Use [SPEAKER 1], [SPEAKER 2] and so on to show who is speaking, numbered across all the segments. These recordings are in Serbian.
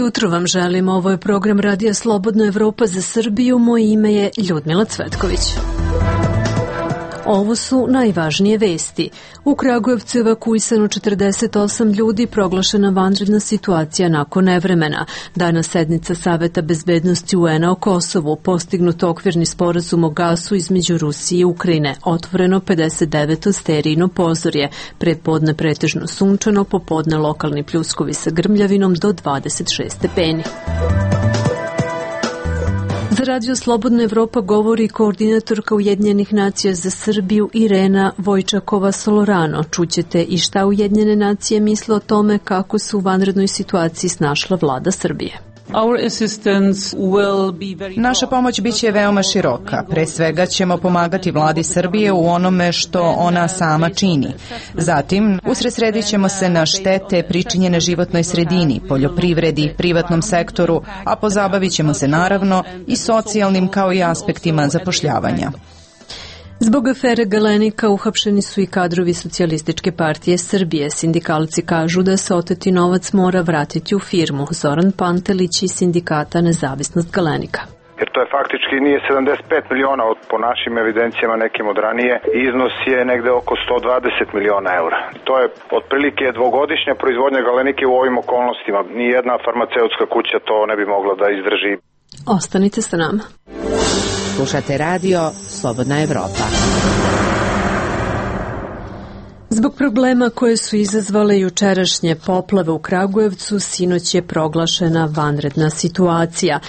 [SPEAKER 1] jutro vam želim. Ovo je program Radija Slobodna Evropa za Srbiju. Moje ime je Ljudmila Cvetković. Ovo su najvažnije vesti. U Kragujevcu je evakuisano 48 ljudi, proglašena vanredna situacija nakon nevremena. Danas sednica Saveta bezbednosti UN-a o Kosovu, postignut okvirni sporazum o gasu između Rusije i Ukrajine, otvoreno 59. sterijno pozorje, prepodne pretežno sunčano, popodne lokalni pljuskovi sa grmljavinom do 26 stepeni. Za Radio Slobodna Evropa govori koordinatorka Ujedinjenih nacija za Srbiju Irena Vojčakova-Solorano. Čućete i šta Ujedinjene nacije misle o tome kako se u vanrednoj situaciji snašla vlada Srbije.
[SPEAKER 2] Naša pomoć biće veoma široka. Pre svega ćemo pomagati vladi Srbije u onome što ona sama čini. Zatim, usredsredit ćemo se na štete pričinjene životnoj sredini, poljoprivredi, privatnom sektoru, a pozabavit ćemo se naravno i socijalnim kao i aspektima zapošljavanja.
[SPEAKER 1] Zbog afere Galenika uhapšeni su i kadrovi Socijalističke partije Srbije. Sindikalci kažu da se oteti novac mora vratiti u firmu. Zoran Pantelić iz sindikata Nezavisnost Galenika.
[SPEAKER 3] Jer to je faktički nije 75 miliona po našim evidencijama nekim od ranije. Iznos je negde oko 120 miliona eura. To je otprilike dvogodišnja proizvodnja Galenike u ovim okolnostima. Nijedna farmaceutska kuća to ne bi mogla da izdrži.
[SPEAKER 1] Ostanite sa nama.
[SPEAKER 4] Slušate radio Slobodna Evropa.
[SPEAKER 1] Zbog problema koje su izazvale jučerašnje poplave u Kragujevcu, sinoć je proglašena vanredna situacija,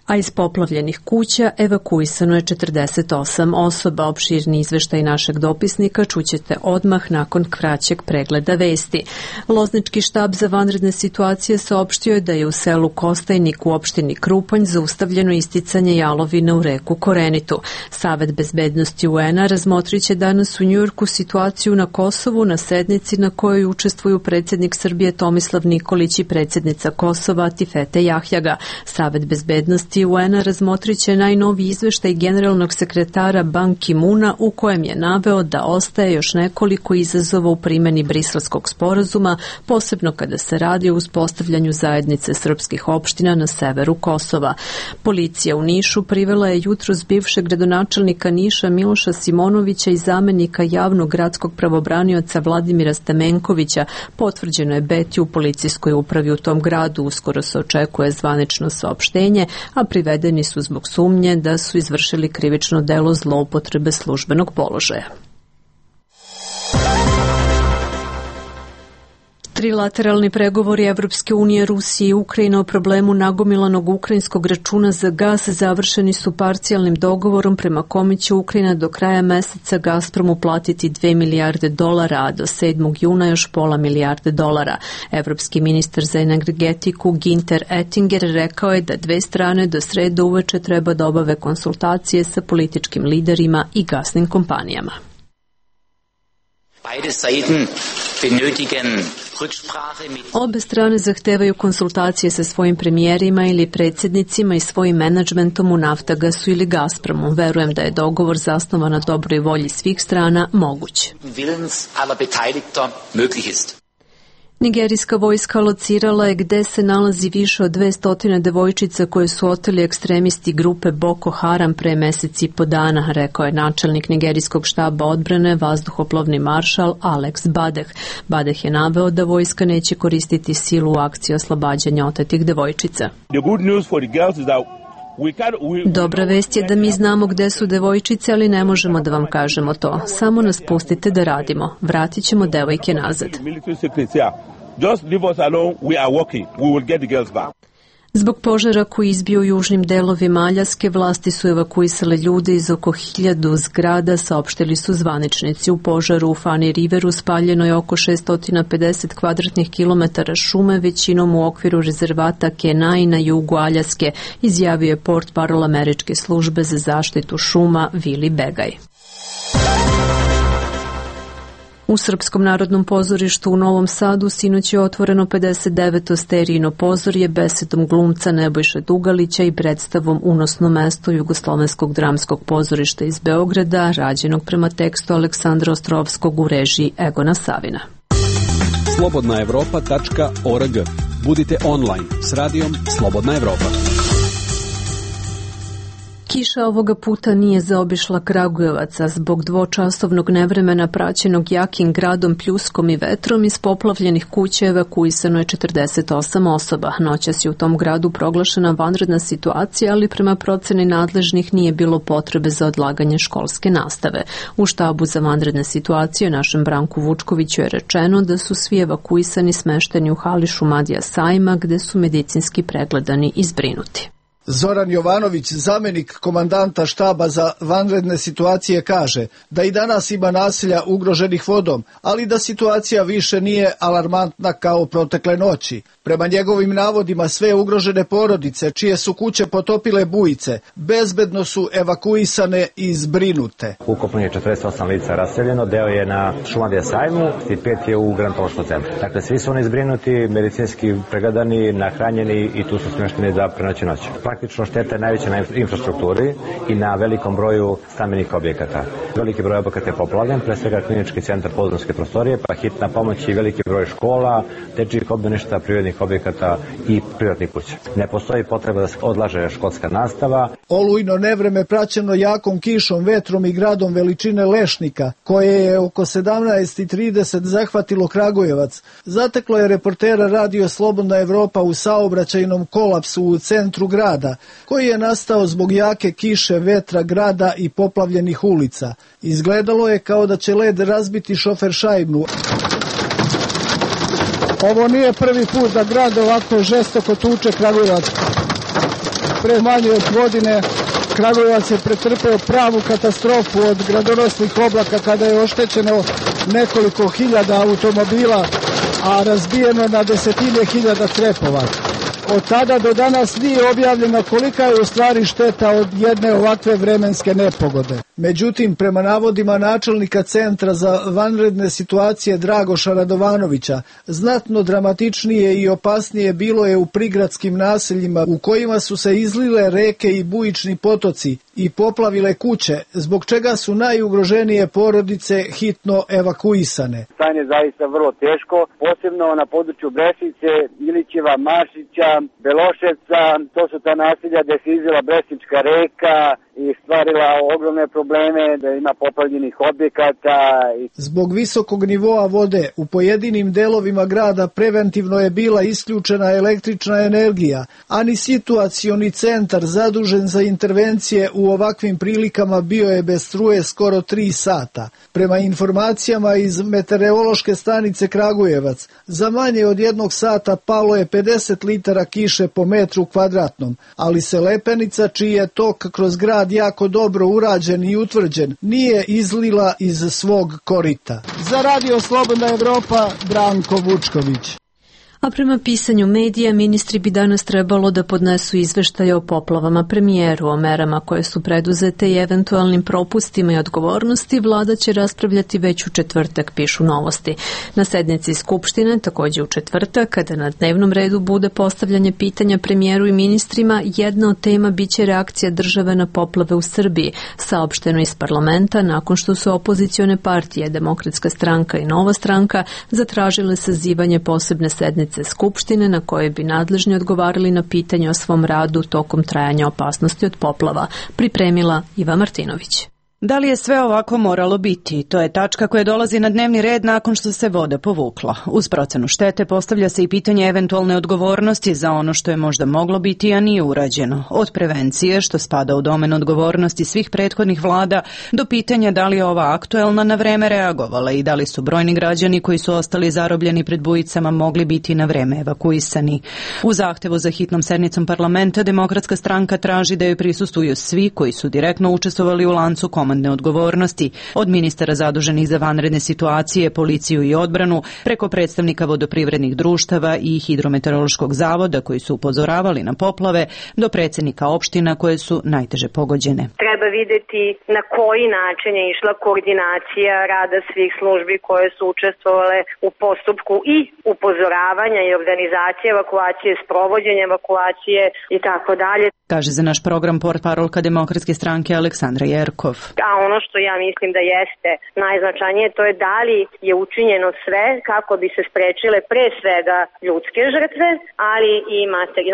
[SPEAKER 1] a iz poplavljenih kuća evakuisano je 48 osoba. Opširni izveštaj našeg dopisnika čućete odmah nakon kraćeg pregleda vesti. Loznički štab za vanredne situacije saopštio je da je u selu Kostajnik u opštini Krupanj zaustavljeno isticanje jalovine u reku Korenitu. Savet bezbednosti UN-a razmotrit će danas u Njujorku situaciju na Kosovu na sednici na kojoj učestvuju predsjednik Srbije Tomislav Nikolić i predsjednica Kosova Tifete Jahjaga. Savet bezbednosti UN-a razmotrit će najnoviji izveštaj generalnog sekretara Ban Ki-muna u kojem je naveo da ostaje još nekoliko izazova u primjeni Briselskog sporazuma, posebno kada se radi o uspostavljanju zajednice srpskih opština na severu Kosova. Policija u Nišu privela je jutros bivšeg gradonačelnika Niša Miloša Simonovića i zamenika javnog gradskog pravobranioca Vladimira Stamenkovića. Potvrđeno je Beti u policijskoj upravi u tom gradu. Uskoro se očekuje zvanično saopštenje, a privedeni su zbog sumnje da su izvršili krivično delo zloupotrebe službenog položaja. Trilateralni pregovori Evropske unije, Rusije i Ukrajine o problemu nagomilanog ukrajinskog računa za gas završeni su parcijalnim dogovorom prema kome će Ukrajina do kraja meseca Gazpromu platiti $2 milijarde, a do 7. juna još $0,5 milijarde. Evropski ministar za energetiku Ginter Ettinger rekao je da dve strane do srede uveče treba da obave konsultacije sa političkim liderima i gasnim kompanijama. Obe strane zahtevaju konsultacije sa svojim premijerima ili predsjednicima i svojim menadžmentom u Naftagasu ili Gazpromu. Verujem da je dogovor zasnovan na dobroj volji svih strana moguć. Nigerijska vojska locirala je gde se nalazi više od 200 devojčica koje su oteli ekstremisti grupe Boko Haram pre meseci i po dana, rekao je načelnik nigerijskog štaba odbrane, vazduhoplovni maršal Alex Badeh. Badeh je naveo da vojska neće koristiti silu u akciji oslobađanja otetih devojčica. Dobra vest je da mi znamo gde su devojčice, ali ne možemo da vam kažemo to. Samo nas pustite da radimo. Vratit ćemo devojke nazad. Zbog požara koji izbio u južnim delovima Aljaske, vlasti su evakuisale ljude iz oko 1000 zgrada, saopštili su zvaničnici. U požaru u Funny Riveru spaljeno je oko 650 kvadratnih kilometara šume, većinom u okviru rezervata Kenai na jugu Aljaske, izjavio je portparol američke službe za zaštitu šuma Vili Begaj. U Srpskom narodnom pozorištu u Novom Sadu sinoć je otvoreno 59. sterijno pozorje besedom glumca Nebojše Dugalića i predstavom Unosno mesto Jugoslovenskog dramskog pozorišta iz Beograda, rađenog prema tekstu Aleksandra Ostrovskog u režiji Egona Savina.
[SPEAKER 5] Slobodnaevropa.org. Budite online s radijom Slobodna Evropa.
[SPEAKER 1] Kiša ovoga puta nije zaobišla Kragujevac, a zbog dvočasovnog nevremena praćenog jakim gradom, pljuskom i vetrom iz poplavljenih kuća evakuisano je 48 osoba. Noćas je u tom gradu proglašena vanredna situacija, ali prema proceni nadležnih nije bilo potrebe za odlaganje školske nastave. U štabu za vanredne situacije našem Branku Vučkoviću je rečeno da su svi evakuisani smešteni u hali Šumadija Sajma, gde su medicinski pregledani i zbrinuti.
[SPEAKER 6] Zoran Jovanović, zamenik komandanta štaba za vanredne situacije, kaže da i danas ima naselja ugroženih vodom, ali da situacija više nije alarmantna kao protekle noći. Prema njegovim navodima, sve ugrožene porodice, čije su kuće potopile bujice, bezbedno su evakuisane i zbrinute.
[SPEAKER 7] Ukupno je 48 lica raseljeno, deo je na Šumadija Sajmu i 5 je u gerontološkom centru. Dakle, svi su oni zbrinuti, medicinski pregledani, nahranjeni i tu su smješteni za prenoće noć. Praktično šteta je najveća na infrastrukturi i na velikom broju stambenih objekata. Veliki broj objekata je poplavljen, pre svega klinički centar, podrumske prostorije, pa hitna pomoć i veliki broj škola, dečjih obdaništa, privrednih objekata i privatnih kuća. Ne postoji potreba da se odlaže školska nastava.
[SPEAKER 6] Olujno nevreme praćeno jakom kišom, vetrom i gradom veličine Lešnika, koje je oko 17:30 zahvatilo Kragujevac, zateklo je reportera radio Slobodna Evropa u saobraćajnom kolapsu u centru grada, koji je nastao zbog jake kiše, vetra, grada i poplavljenih ulica. Izgledalo je kao da će led razbiti šoferšajbnu. Ovo nije prvi put da grad ovako žestoko tuče Kragujevac. Pre manje od godine Kragujevac je pretrpeo pravu katastrofu od gradonosnih oblaka kada je oštećeno nekoliko hiljada automobila, a razbijeno na desetine hiljada crepova. Od tada do danas nije objavljeno kolika je u stvari šteta od jedne ovakve vremenske nepogode. Međutim, prema navodima načelnika Centra za vanredne situacije Dragoša Radovanovića, znatno dramatičnije i opasnije bilo je u prigradskim naseljima u kojima su se izlile reke i bujični potoci i poplavile kuće, zbog čega su najugroženije porodice hitno evakuisane.
[SPEAKER 8] Stanje je zaista vrlo teško, posebno na području Brešice, Ilićeva, Mašića, Beloševca, to su ta naselja gde se izlila Brešnička reka i stvarila ogromne probleme, da ima poplavljenih objekata.
[SPEAKER 6] Zbog visokog nivoa vode u pojedinim delovima grada preventivno je bila isključena električna energija, a ni situacioni centar zadužen za intervencije u ovakvim prilikama bio je bez struje skoro 3 sata. Prema informacijama iz meteorološke stanice Kragujevac, za manje od 1 sata palo je 50 litara kiše po metru kvadratnom, ali se Lepenica, čiji je tok kroz grad jako dobro urađen i utvrđen, nije izlila iz svog korita. Za radio Slobodna Evropa, Branko Vučković.
[SPEAKER 1] A prema pisanju medija, ministri bi danas trebalo da podnesu izveštaje o poplavama premijeru, o merama koje su preduzete i eventualnim propustima i odgovornosti. Vlada će raspravljati već u četvrtak, pišu Novosti. Na sednici Skupštine, takođe u četvrtak, kada na dnevnom redu bude postavljanje pitanja premijeru i ministrima, jedna od tema biće reakcija države na poplave u Srbiji, saopšteno iz parlamenta nakon što su opozicione partije, Demokratska stranka i Nova stranka, zatražile sazivanje posebne sednice Skupštine na kojoj bi nadležni odgovarali na pitanje o svom radu tokom trajanja opasnosti od poplava, pripremila Iva Martinović.
[SPEAKER 2] Da li je sve ovako moralo biti? To je tačka koja dolazi na dnevni red nakon što se voda povukla. Uz procenu štete postavlja se i pitanje eventualne odgovornosti za ono što je možda moglo biti, a nije urađeno. Od prevencije, što spada u domen odgovornosti svih prethodnih vlada, do pitanja da li je ova aktuelna na vreme reagovala i da li su brojni građani koji su ostali zarobljeni pred bujicama mogli biti na vreme evakuisani. U zahtevu za hitnom sednicom parlamenta Demokratska stranka traži da joj prisustvuju svi koji su direktno učestvovali u lancu komandne odgovornosti, od ministara zaduženih za vanredne situacije, policiju i odbranu, preko predstavnika vodoprivrednih društava i hidrometeorološkog zavoda koji su upozoravali na poplave, do predsjednika opština koje su najteže pogođene.
[SPEAKER 9] treba videti na koji način je išla koordinacija rada svih službi koje su učestvovale u postupku i upozoravanja i organizacije evakuacije, sprovođenja evakuacije i tako dalje.
[SPEAKER 2] Kaže za naš program portparolka Demokratske stranke Aleksandra Jerkov.
[SPEAKER 9] A ono što ja mislim da jeste najznačajnije, to je da li je učinjeno sve kako bi se sprečile pre svega ljudske žrtve, ali i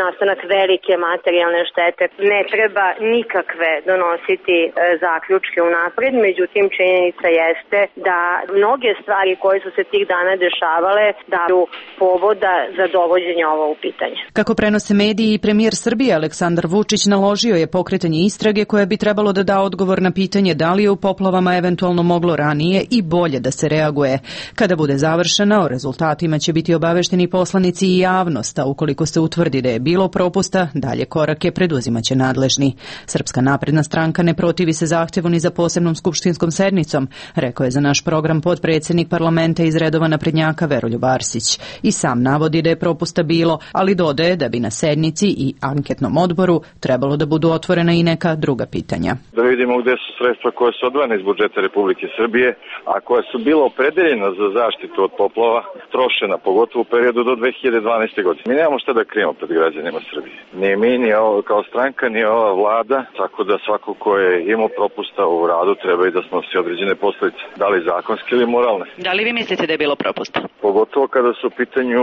[SPEAKER 9] nastanak velike materijalne štete. Ne treba nikakve donositi zaključke unapred, međutim činjenica jeste da mnoge stvari koje su se tih dana dešavale daju povoda za dovođenje ovo u pitanje.
[SPEAKER 2] Kako prenose mediji, i premijer Srbije Aleksandar Vučić naložio je pokretanje istrage koja bi trebalo da da odgovor na pitanje da li je u poplavama eventualno moglo ranije i bolje da se reaguje. Kada bude završena, o rezultatima će biti obavešteni poslanici i javnost, a ukoliko se utvrdi da je bilo propusta, dalje korake preduzimaće nadležni. Srpska napredna stranka ne protivi se zahtevu ni za posebnom skupštinskom sednicom, rekao je za naš program potpredsednik parlamenta iz redova naprednjaka Veroljub Arsić. I sam navodi da je propusta bilo, ali dodaje da bi na sednici i anketnom odboru trebalo da budu otvorena i neka druga pitanja.
[SPEAKER 10] Da vidimo gde su sredstva koje su odvojene iz budžeta Republike Srbije, a koja su bila opredeljena za zaštitu od poplava, trošena, pogotovo u periodu do 2012. godine. Mi nemamo šta da krijemo pred građanima Srbije. Ni mi, ni kao stranka, ni ova vlada, tako da svako ko je imao propusta u radu treba i da snosi određene posledice, da li zakonske ili moralne.
[SPEAKER 11] Da li vi mislite da je bilo propusta?
[SPEAKER 10] Pogotovo kada su u pitanju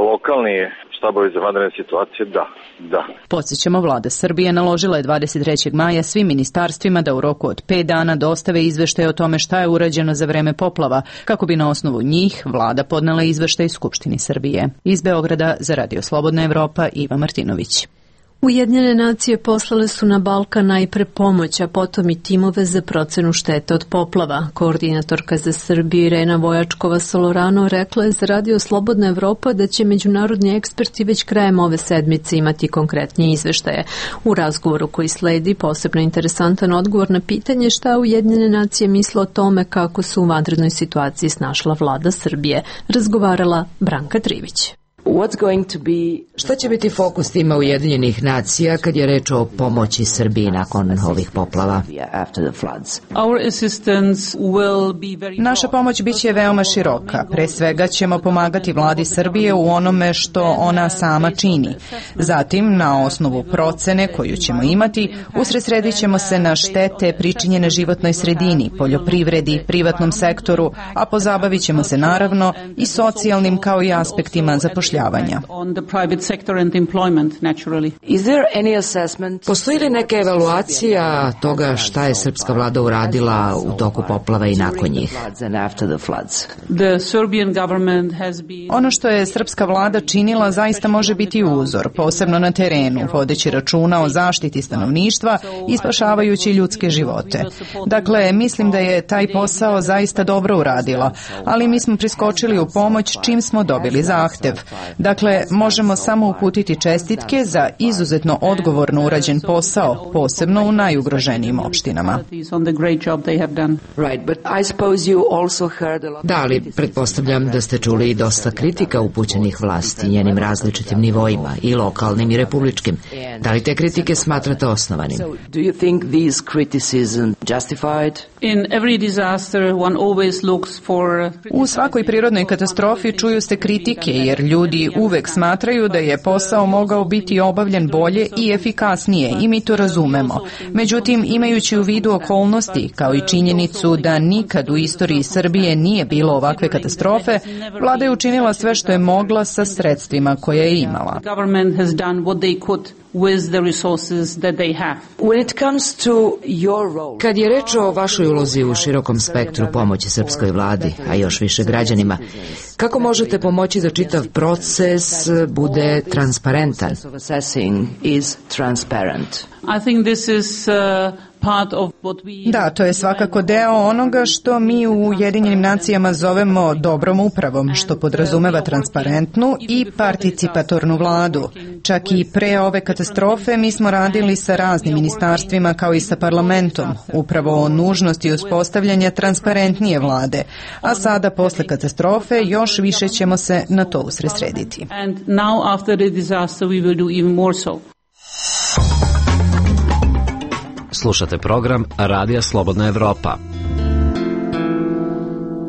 [SPEAKER 10] lokalni štabovi za vanredne situacije, da.
[SPEAKER 2] Podsjećamo, vlada Srbije naložila je 23. maja svim ministarstvima da u roku od 5 dana dostave izveštaj o tome šta je urađeno za vreme poplava, kako bi na osnovu njih vlada podnela izveštaj Skupštini Srbije. Iz Beograda za Radio Slobodna Evropa, Iva Martinović.
[SPEAKER 1] Ujedinjene nacije poslale su na Balkan najpre pomoć, a potom i timove za procenu štete od poplava. Koordinatorka za Srbiju Irena Vojačkova-Solorano rekla je za Radio Slobodna Evropa da će međunarodni eksperti već krajem ove sedmice imati konkretnije izveštaje. U razgovoru koji sledi posebno interesantan odgovor na pitanje šta Ujedinjene nacije misle o tome kako su u vanrednoj situaciji snašla vlada Srbije, razgovarala Branka Trivić.
[SPEAKER 4] Šta će biti fokus tima Ujedinjenih nacija kad je reč o pomoći Srbiji nakon ovih poplava?
[SPEAKER 2] Naša pomoć biće veoma široka. Pre svega ćemo pomagati vladi Srbije u onome što ona sama čini. Zatim, na osnovu procene koju ćemo imati, usredsredit ćemo se na štete pričinjene životnoj sredini, poljoprivredi, privatnom sektoru, a pozabavit ćemo se naravno i socijalnim kao i aspektima zapošljavanja.
[SPEAKER 4] Postoji li neka evaluacija toga šta je srpska vlada uradila u toku poplava i nakon njih?
[SPEAKER 2] Ono što je srpska vlada činila zaista može biti uzor, posebno na terenu, vodeći računa o zaštiti stanovništva i spašavajući ljudske živote. Dakle, mislim da je taj posao zaista dobro uradila, ali mi smo priskočili u pomoć čim smo dobili zahtev. Dakle, možemo samo uputiti čestitke za izuzetno odgovorno urađen posao, posebno u najugroženijim opštinama.
[SPEAKER 4] Da, ali pretpostavljam da ste čuli i dosta kritika upućenih vlasti njenim različitim nivoima, i lokalnim i republičkim. Da li te kritike smatrate osnovanim?
[SPEAKER 2] U svakoj prirodnoj katastrofi čuju se kritike, jer ljudi uvek smatraju da je posao mogao biti obavljen bolje i efikasnije, i mi to razumemo. Međutim, imajući u vidu okolnosti, kao i činjenicu da nikad u istoriji Srbije nije bilo ovakve katastrofe, vlada je učinila sve što je mogla sa sredstvima koje je imala.
[SPEAKER 4] Kad je reč o vašoj ulozi u širokom spektru pomoći srpskoj vladi, a još više građanima, kako možete pomoći da čitav proces bude transparentan?
[SPEAKER 2] Da, to je svakako deo onoga što mi u Ujedinjenim nacijama zovemo dobrom upravom, što podrazumeva transparentnu i participatornu vladu. Čak i pre ove katastrofe mi smo radili sa raznim ministarstvima kao i sa parlamentom, upravo o nužnosti uspostavljanja transparentnije vlade, a sada posle katastrofe još više ćemo se na to usredsrediti.
[SPEAKER 5] Slušate program Radija Slobodna Evropa.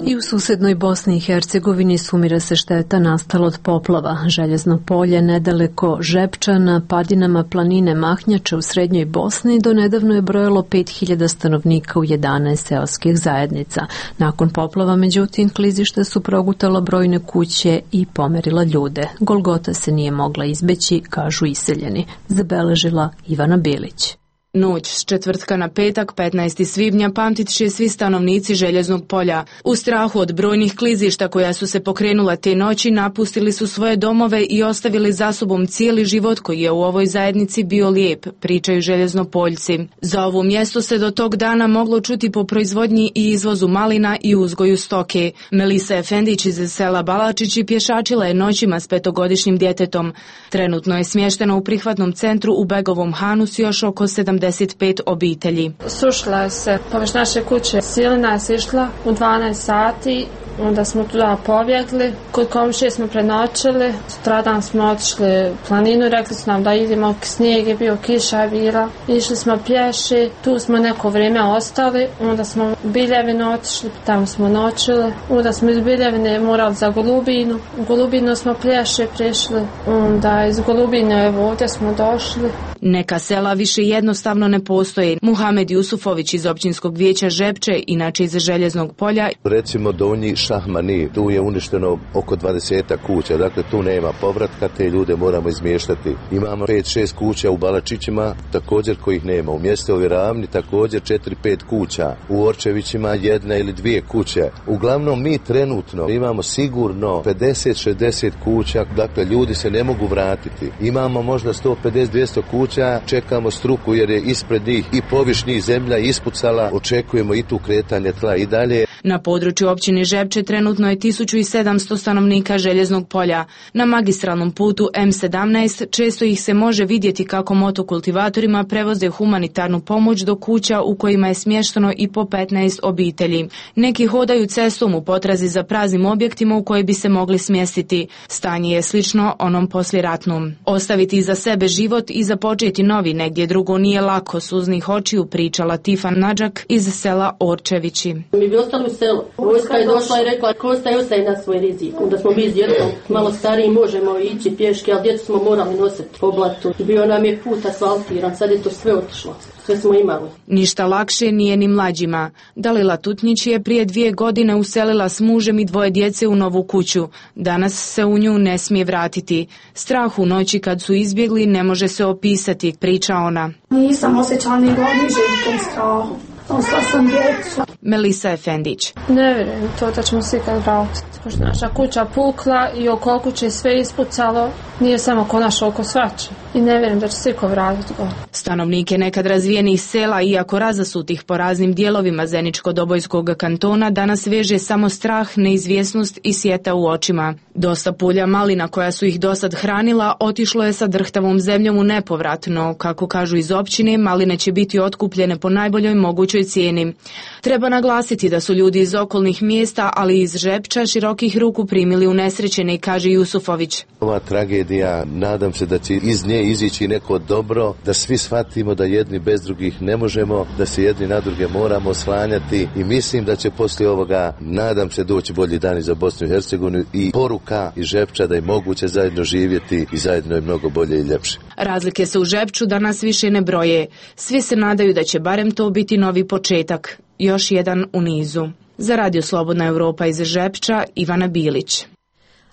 [SPEAKER 1] I u susednoj Bosni i Hercegovini sumira se šteta nastala od poplava. Željezno polje nedaleko Žepča na padinama planine Mahnjača u srednjoj Bosni do nedavno je brojalo 5000 stanovnika u 11 seoskih zajednica. Nakon poplava, međutim, klizišta su progutala brojne kuće i pomerila ljude. Golgota se nije mogla izbeći, kažu iseljeni, zabeležila Ivana Bilić.
[SPEAKER 12] Noć s četvrtka na petak, 15. svibnja, pamtit će svi stanovnici Željeznog polja. U strahu od brojnih klizišta koja su se pokrenula te noći, napustili su svoje domove i ostavili za sobom cijeli život koji je u ovoj zajednici bio lijep, pričaju Željeznopoljci. Za ovo mjesto se do tog dana moglo čuti po proizvodnji i izvozu malina i uzgoju stoke. Melisa Efendić iz sela Balačići pješačila je noćima s 5-godišnjim djetetom. Trenutno je smještena u prihvatnom centru u Begovom Hanu s još oko 75 obitelji.
[SPEAKER 13] Sušila se površ naše kuće. Silina je išla u 12 sati. Onda smo tuda pobjegli. Kod komšije smo prenoćili. Sutradan smo otišli u planinu. Rekli su nam da idemo, snijeg je bio, kiša je bila. Išli smo pješi. Tu smo neko vrijeme ostali. Onda smo u Biljevinu otišli. Tamo smo noćili. Onda smo iz Biljevine morali za Golubinu. U Golubinu smo pješi prišli. Onda iz Golubine evo ovdje smo došli.
[SPEAKER 12] Neka sela više jednostavno ne postoje. Muhamed Jusufović iz općinskog vijeća Žepče, inače iz Željeznog polja.
[SPEAKER 14] Recimo Donji Šahmani, tu je uništeno oko 20 kuća, dakle tu nema povratka, te ljude moramo izmještati. Imamo 5-6 kuća u Balačićima, također kojih nema. U mjestovoj Ravni također 4-5 kuća. U Orčevićima 1 ili 2 kuće. Uglavnom mi trenutno imamo sigurno 50-60 kuća, dakle ljudi se ne mogu vratiti. Imamo možda 150-200 kuća, čekamo struku jer je ispred njih i povišnjih zemlja ispucala, očekujemo i tu kretanje tla i dalje.
[SPEAKER 12] Na području općine Žepče trenutno je 1700 stanovnika Željeznog polja. Na magistralnom putu M17 često ih se može vidjeti kako motokultivatorima prevoze humanitarnu pomoć do kuća u kojima je smješteno i po 15 obitelji. Neki hodaju cestom u potrazi za praznim objektima u koje bi se mogli smjestiti. Stanje je slično onom poslijeratnom. Ostaviti iza sebe život i započeti novi negdje drugo nije lako, suznih očiju pričala Tifa Nadžak iz sela Orčevići.
[SPEAKER 15] Mi bi ostali u selu. Vojska je došla i rekla ko ostaje na svoj rizik. Onda smo mi s djetom malo stariji, možemo ići pješke, ali djecu smo morali nositi po blatu. Bio nam je put asfaltiran, sad je to sve otišlo. Sve smo imali.
[SPEAKER 12] Ništa lakše nije ni mlađima. Dalila Tutnjić je prije 2 godine uselila s mužem i 2 djece u novu kuću. Danas se u nju ne smije vratiti. Strah u noći kad su izbjegli ne može se opisati, priča ona.
[SPEAKER 16] Nisam osjećala ni godiže u tom strahu. Ostala sam djecu.
[SPEAKER 12] Melisa Efendić.
[SPEAKER 13] Ne vjerujem to da ćemo se ikad vratiti. Pošto naša kuća pukla i oko kuće sve ispucalo, nije samo ko naša oko svače. I ne vjerujem da će se iko vratiti gore.
[SPEAKER 12] Stanovnike nekad razvijenih sela, iako razasutih po raznim dijelovima Zeničko-Dobojskog kantona, danas veže samo strah, neizvjesnost i sjeta u očima. Dosta pulja malina koja su ih dosad hranila otišlo je sa drhtavom zemljom u nepovratno. Kako kažu iz općine, maline će biti otkupljene po najboljoj mogućoj cijeni. Treba naglasiti da su ljudi iz okolnih mjesta, ali i iz Žepča, širokih ruku primili unesrećene, kaže Jusufović.
[SPEAKER 14] Ova tragedija, nadam se da će iz nje izići neko dobro, da svi shvatimo da jedni bez drugih ne možemo, da se jedni na druge moramo oslanjati i mislim da će poslije ovoga, nadam se, doći bolji dani za Bosnu i Hercegovinu i poruka iz Žepča da je moguće zajedno živjeti i zajedno je mnogo bolje i ljepše.
[SPEAKER 12] Razlike se u Žepču danas više ne broje. Svi se nadaju da će barem to biti novi početak. Još jedan u nizu. Za Radio Slobodna Evropa iz Žepča, Ivana Bilić.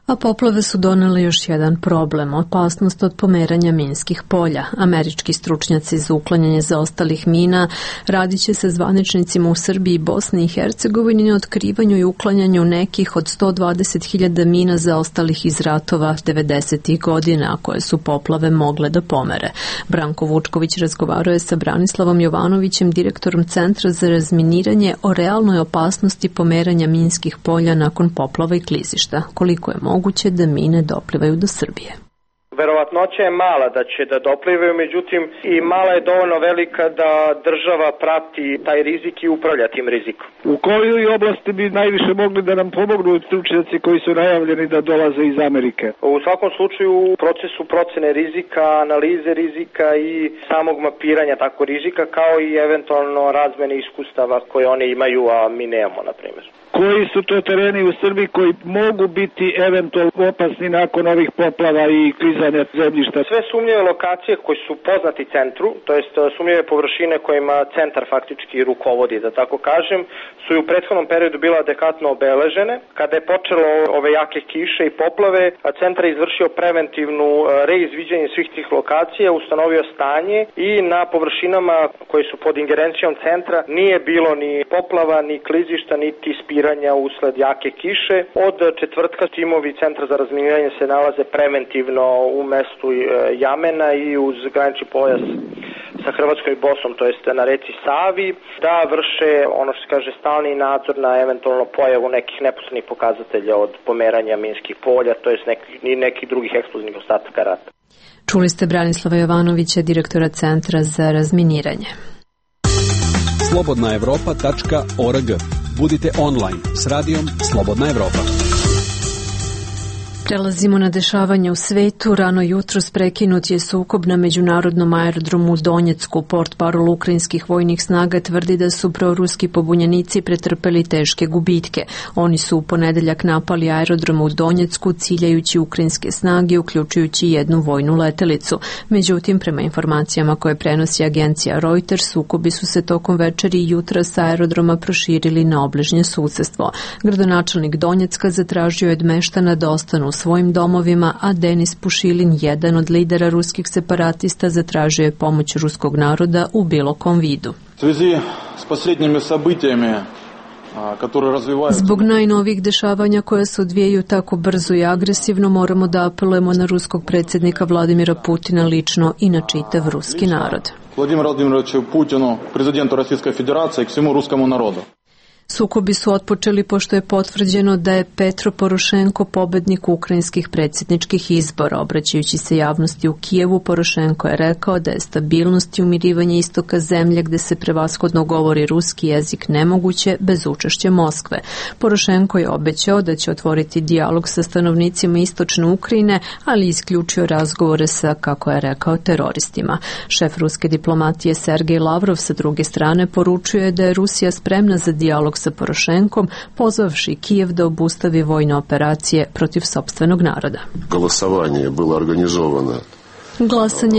[SPEAKER 1] A poplave su donele još jedan problem, opasnost od pomeranja minskih polja. Američki stručnjaci za uklanjanje zaostalih mina radit će se zvaničnicima u Srbiji i Bosni i Hercegovini na otkrivanju i uklanjanju nekih od 120.000 mina zaostalih iz ratova 90. godina, koje su poplave mogle da pomere. Branko Vučković razgovarao je sa Branislavom Jovanovićem, direktorom Centra za razminiranje, o realnoj opasnosti pomeranja minskih polja nakon poplava i klizišta. Koliko je moguće da mine doplivaju do Srbije?
[SPEAKER 17] Verovatnoća je mala da će da doplivaju, međutim i mala je dovoljno velika da država prati taj rizik i upravlja tim rizikom.
[SPEAKER 6] U kojoj oblasti bi najviše mogli da nam pomognu stručnjaci koji su najavljeni da dolaze iz Amerike?
[SPEAKER 17] U svakom slučaju u procesu procene rizika, analize rizika i samog mapiranja tako rizika, kao i eventualno razmene iskustava koje oni imaju, a mi nemamo, na primjer.
[SPEAKER 6] Koji su to tereni u Srbiji koji mogu biti eventualno opasni nakon ovih poplava i klizanja zemljišta?
[SPEAKER 17] Sve sumnjive lokacije koje su poznati centru, to jest sumnjive površine kojima centar faktički rukovodi, da tako kažem, su i u prethodnom periodu bila adekvatno obeležene. Kada je počelo ove jake kiše i poplave, centar je izvršio preventivnu reizviđenje svih tih lokacija, ustanovio stanje i na površinama koje su pod ingerencijom centra nije bilo ni poplava, ni klizišta, niti spiranja usled jake kiše. Od četvrtka timovi Centra za razminiranje se nalaze preventivno u mestu Jamena i uz granični pojas sa Hrvatskom i Bosnom, to jest na reci Savi, da vrše ono što se kaže stalni nadzor na eventualno pojavu nekih neposrednih pokazatelja od pomeranja minskih polja, to jest nekih drugih eksplozivnih ostataka rata.
[SPEAKER 1] Čuli ste Branislava Jovanovića, direktora Centra za razminiranje.
[SPEAKER 5] slobodnaevropa.org. Budite online s radijom Slobodna Evropa.
[SPEAKER 1] Prelazimo na dešavanje u svetu. Rano jutros prekinut je sukob na međunarodnom aerodromu u Donjecku. Portparol ukrajinskih vojnih snaga tvrdi da su proruski pobunjenici pretrpeli teške gubitke. Oni su u ponedeljak napali aerodrom u Donjecku ciljajući ukrajinske snage, uključujući jednu vojnu letelicu. Međutim, prema informacijama koje prenosi agencija Reuters, sukobi su se tokom večeri i jutra sa aerodroma proširili na obližnje susedstvo. Gradonačelnik Donjecka zatražio je od meštana da ostanu u svojim domovima, a Denis Pušilin, jedan od lidera ruskih separatista, zatražio je pomoć ruskog naroda u bilo kom vidu. Zbog najnovijih dešavanja koja se odvijaju tako brzo i agresivno, moramo da apelujemo na ruskog predsjednika Vladimira Putina lično i na čitav ruski narod.
[SPEAKER 18] Vladimiru Vladimiroviću Putinu, prezidentu Rusijske federacije, i svemu ruskom narodu.
[SPEAKER 1] Sukobi su otpočeli pošto je potvrđeno da je Petro Porošenko pobednik ukrajinskih predsjedničkih izbora. Obraćajući se javnosti u Kijevu, Porošenko je rekao da je stabilnost i umirivanje istoka zemlje gde se prevashodno govori ruski jezik nemoguće bez učešća Moskve. Porošenko je obećao da će otvoriti dijalog sa stanovnicima istočne Ukrajine, ali isključio razgovore sa, kako je rekao, teroristima. Šef ruske diplomatije Sergej Lavrov sa druge strane poručuje da je Rusija spremna za dijalog sa Porošenkom, pozvavši Kijev da obustavi vojne operacije protiv sopstvenog naroda. Glasanje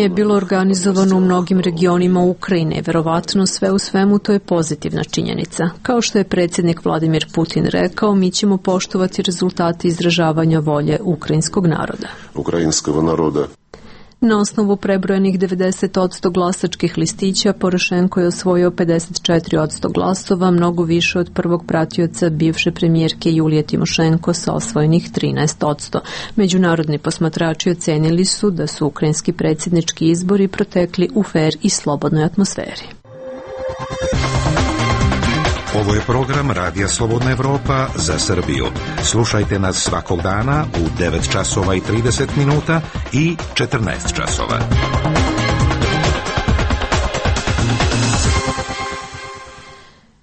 [SPEAKER 1] je bilo organizovano u mnogim regionima Ukrajine. Verovatno sve u svemu to je pozitivna činjenica. Kao što je predsjednik Vladimir Putin rekao, mi ćemo poštovati rezultate izražavanja volje ukrajinskog naroda. Na osnovu prebrojenih 90% glasačkih listića, Porošenko je osvojio 54% glasova, mnogo više od prvog pratioca bivše premijerke Julije Timošenko sa osvojenih 13%. Međunarodni posmatrači ocenili su da su ukrajinski predsjednički izbori protekli u fer i slobodnoj atmosferi.
[SPEAKER 19] Ovo je program Radija Slobodna Evropa za Srbiju. Slušajte nas svakog dana u 9 časova i 30 minuta i 14 časova.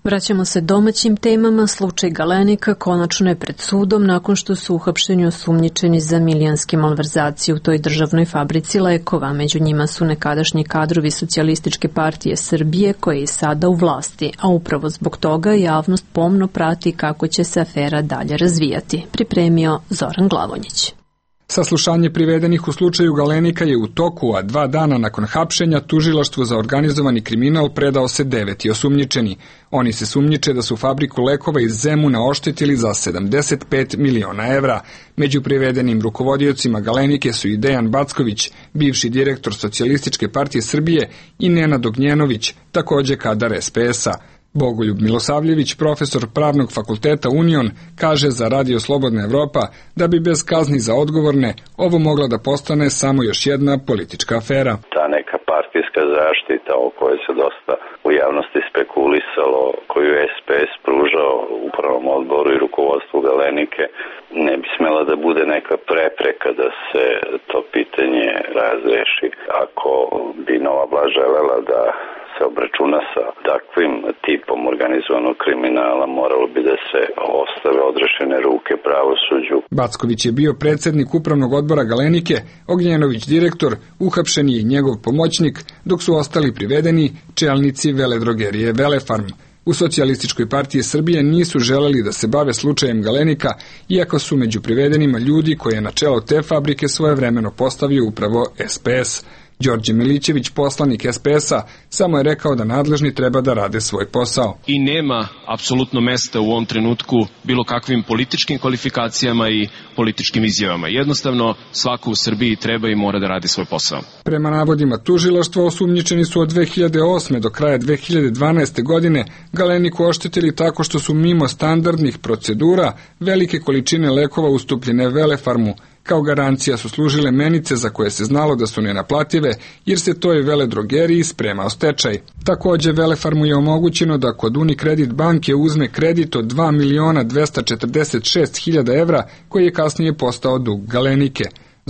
[SPEAKER 1] Vraćamo se domaćim temama. Slučaj Galenika konačno je pred sudom nakon što su uhapšeni osumnjičeni za milijonske malverzacije u toj državnoj fabrici lekova. Među njima su nekadašnji kadrovi Socijalističke partije Srbije koje je sada u vlasti, a upravo zbog toga javnost pomno prati kako će se afera dalje razvijati. Pripremio Zoran Glavonjić.
[SPEAKER 20] Saslušanje privedenih u slučaju Galenika je u toku, a 2 dana nakon hapšenja tužilaštvu za organizovani kriminal predao se 9 osumnjičeni. Oni se sumnjiče da su fabriku lekova iz Zemuna oštetili za 75 miliona evra. Među privedenim rukovodiocima Galenike su i Dejan Backović, bivši direktor Socijalističke partije Srbije, i Nenad Ognjenović, takođe kadar SPS-a. Bogoljub Milosavljević, profesor Pravnog fakulteta Union, kaže za Radio Slobodna Evropa da bi bez kazni za odgovorne ovo mogla da postane samo još jedna politička afera.
[SPEAKER 21] Ta neka partijska zaštita o kojoj se dosta u javnosti spekulisalo, koju je SPS pružao upravnom odboru i rukovodstvu Galenike, ne bi smela da bude neka prepreka da se to pitanje razreši. Ako bi nova vlast želela da se obračuna sa takvim tipom organizovanog kriminala, moralo bi da se ostave odrešene ruke pravosuđu.
[SPEAKER 20] Backović je bio predsednik upravnog odbora Galenike, Ognjenović direktor, uhapšen je i njegov pomoćnik, dok su ostali privedeni čelnici veledrogerije Velefarm. U Socijalističkoj partiji Srbije nisu želeli da se bave slučajem Galenika, iako su među privedenima ljudi koje je na čelo te fabrike svojevremeno postavio upravo SPS. Đorđe Milićević, poslanik SPS-a, samo je rekao da nadležni treba da rade svoj posao.
[SPEAKER 22] I nema apsolutno mesta u ovom trenutku bilo kakvim političkim kvalifikacijama i političkim izjavama. Jednostavno, svako u Srbiji treba i mora da radi svoj posao.
[SPEAKER 20] Prema navodima tužilaštva, osumnjičeni su od 2008. do kraja 2012. godine Galeniku oštetili tako što su mimo standardnih procedura velike količine lekova ustupljene Velefarmu. Kao garancija su služile menice za koje se znalo da su nenaplative, jer se toj veledrogeriji spremao stečaj. Takođe, Velefarmu je omogućeno da kod Unicredit banke uzme kredit od 2.246.000 evra, koji je kasnije postao dug Galenike.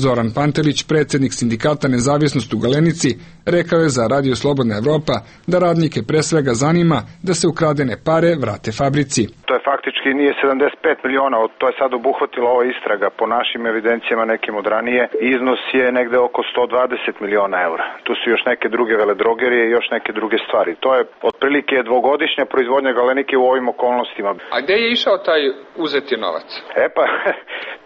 [SPEAKER 20] Zoran Pantelić, predsednik sindikata Nezavisnost u Galenici, rekao je za Radio Slobodna Evropa da radnike pre svega zanima da se ukradene pare vrate fabrici.
[SPEAKER 3] To je faktički nije 75 miliona, to je sad obuhvatila ova istraga. Po našim evidencijama nekim od ranije, iznos je negde oko 120 miliona eura. Tu su još neke druge veledrogerije i još neke druge stvari. To je otprilike dvogodišnja proizvodnja Galenike u ovim okolnostima.
[SPEAKER 20] A gde je išao taj uzeti novac?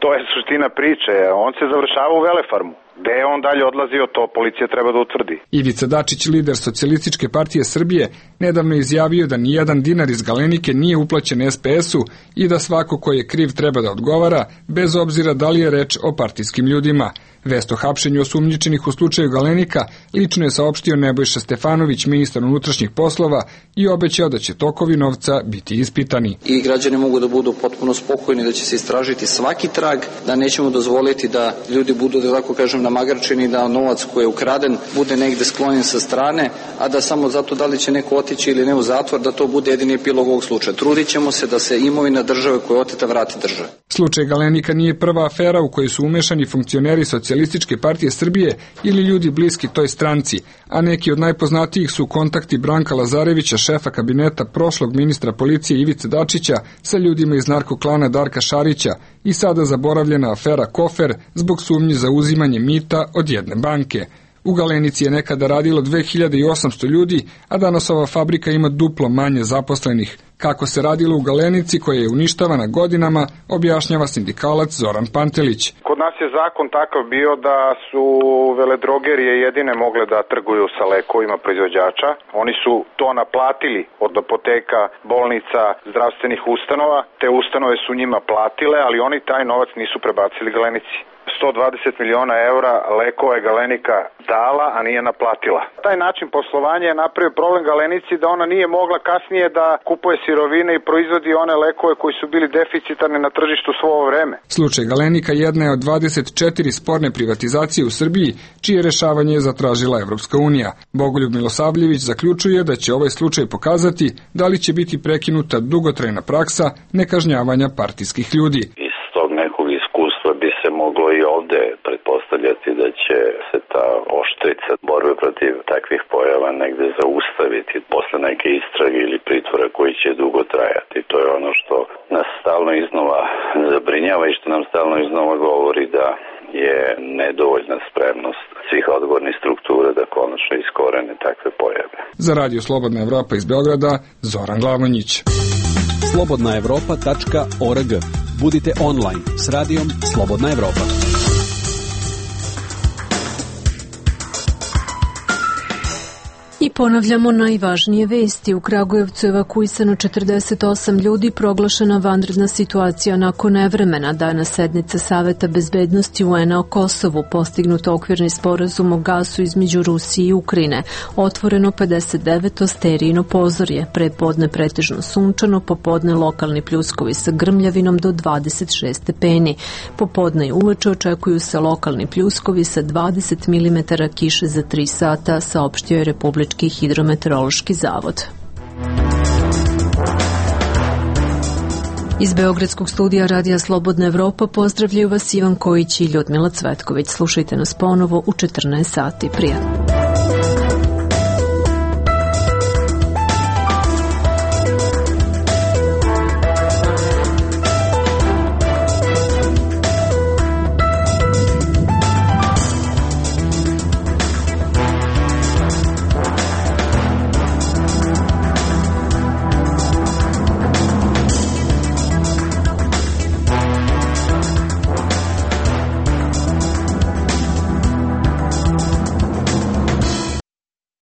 [SPEAKER 3] To je suština priče. On se završava u Velefarmu. Gde je on dalje odlazio, to policija treba da utvrdi.
[SPEAKER 20] Ivica Dačić, lider Socijalističke partije Srbije, nedavno izjavio da nijedan dinar iz Galenike nije uplaćen SPS-u i da svako ko je kriv treba da odgovara, bez obzira da li je reč o partijskim ljudima. Vest o hapšenju osumnjičenih u slučaju Galenika lično je saopštio Nebojša Stefanović, ministar unutrašnjih poslova, i obećao da će tokovi novca biti ispitani.
[SPEAKER 23] I građani mogu da budu potpuno spokojni da će se istražiti svaki trag, da nećemo dozvoliti da ljudi budu, da tako kažem, namagarčeni, da novac koji je ukraden bude negde sklonjen sa strane, a da samo zato da li će neko otići ili ne u zatvor, da to bude jedini epilog ovog slučaja. Trudit ćemo se da se imovina države koja je oteta vrati države.
[SPEAKER 20] Slučaj Galenika nije prva afera u kojoj su umešani funkcioneri Socijalističke partije Srbije ili ljudi bliski toj stranci, a neki od najpoznatijih su kontakti Branka Lazarevića, šefa kabineta prošlog ministra policije Ivice Dačića, sa ljudima iz narkoklana Darka Šarića i sada zaboravljena afera Kofer zbog sumnji za uzimanje mita od jedne banke. U Galenici je nekada radilo 2800 ljudi, a danas ova fabrika ima duplo manje zaposlenih. Kako se radilo u Galenici koja je uništavana godinama, objašnjava sindikalac Zoran Pantelić.
[SPEAKER 3] Kod nas je zakon takav bio da su veledrogerije jedine mogle da trguju sa lekovima proizvođača. Oni su to naplatili od apoteka, bolnica, zdravstvenih ustanova. Te ustanove su njima platile, ali oni taj novac nisu prebacili Galenici. 120 miliona eura lekova je Galenika dala, a nije naplatila. Taj način poslovanja je napravio problem Galenici da ona nije mogla kasnije da kupuje sirovine i proizvodi one lekove koji su bili deficitarni na tržištu svo ovo vreme.
[SPEAKER 20] Slučaj Galenika jedna je od 24 sporne privatizacije u Srbiji, čije rešavanje je zatražila Evropska unija. Bogoljub Milosavljević zaključuje da će ovaj slučaj pokazati da li će biti prekinuta dugotrajna praksa nekažnjavanja partijskih ljudi.
[SPEAKER 21] Bi se moglo i ovde pretpostavljati da će se ta oštrica borbe protiv takvih pojava negde zaustaviti posle neke istrage ili pritvora koji će dugo trajati. To je ono što nas stalno iznova zabrinjava i što nam stalno iznova govori da je nedovoljna spremnost svih odgovornih struktura da konačno iskorene takve pojave.
[SPEAKER 20] Za Radio Slobodna Evropa iz Beograda, Zoran Glavonjić.
[SPEAKER 5] slobodnaevropa.org. Budite online s radijom Slobodna Evropa.
[SPEAKER 1] I ponavljamo najvažnije vesti. U Kragujevcu je evakuisano 48 ljudi, proglašena vanredna situacija nakon nevremena. Danas sednica Saveta bezbednosti UN-a o Kosovu, postignut okvirni sporazum o gasu između Rusije i Ukrajine, otvoreno 59. sterijino pozorje, prepodne pretežno sunčano, popodne lokalni pljuskovi sa grmljavinom do 26 stepeni. Popodne i uveče očekuju se lokalni pljuskovi sa 20 mm kiše za 3 sata, saopštio je Republički hidrometeorološki zavod. Iz Beogradskog studija Radija Slobodna Evropa pozdravljaju vas Ivan Kojić i Ljudmila Cvetković. Slušajte nas ponovo u 14 sati. Prijatno.